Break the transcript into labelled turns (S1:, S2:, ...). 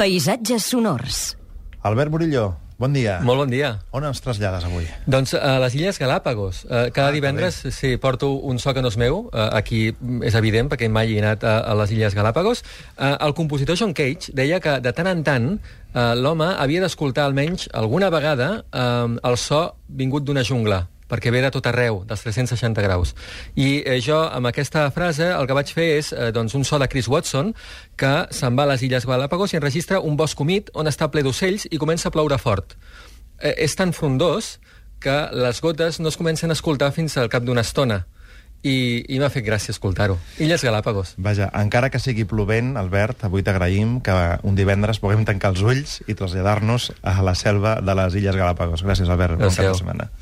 S1: Paisatges sonors.
S2: Albert Murillo, bon dia.
S3: Molt bon dia.
S2: On ens trasllades avui?
S3: Doncs a les Illes Galàpagos. Cada divendres porto un so que no és meu. Aquí és evident, perquè mai he anat a les Illes Galàpagos. El compositor John Cage deia que de tant en tant l'home havia d'escoltar almenys alguna vegada el so vingut d'una jungla, perquè ve de tot arreu, dels 360 graus. I jo, amb aquesta frase, el que vaig fer és un so de Chris Watson, que se'n va a les Illes Galàpagos i enregistra un bosc humit on està ple d'ocells i comença a ploure fort. És tan frondós que les gotes no es comencen a escoltar fins al cap d'una estona. I m'ha fet gràcia escoltar-ho. Illes Galàpagos.
S2: Vaja, encara que sigui plovent, Albert, avui t'agraïm que un divendres puguem tancar els ulls i traslladar-nos a la selva de les Illes Galàpagos. Gràcies, Albert. Bon cap de setmana.